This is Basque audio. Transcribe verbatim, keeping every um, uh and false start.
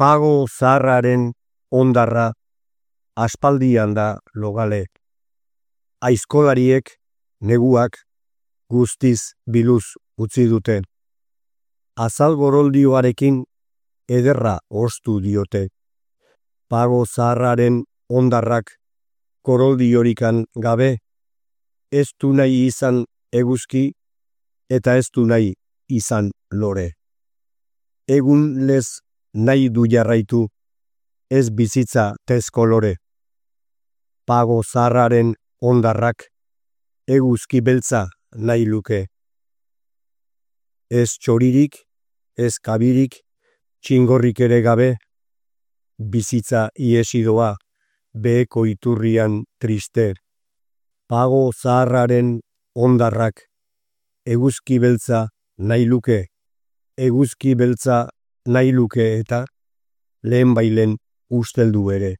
Pago zaharraren ondarra aspaldian da logale. Aizkolariek, neguak, guztiz biluz utzi dute. Azal goroldioarekin ederra ostu diote. Pago zaharraren ondarrak koroldiorikan gabe, ez du nahi izan eguzki eta ez du nahi izan lore. Egun lez nahi du jarraitu, ez bizitza tezkolore. Pago zaharraren ondarrak eguzki beltza nahi luke. Ez txoririk, ez kabirik, txingorrik ere gabe, bizitza iesidoa beheko iturrian triste. Pago zaharraren ondarrak eguzki beltza nahi luke, eguzki beltza nahi luke eta lehenbailen usteldu ere.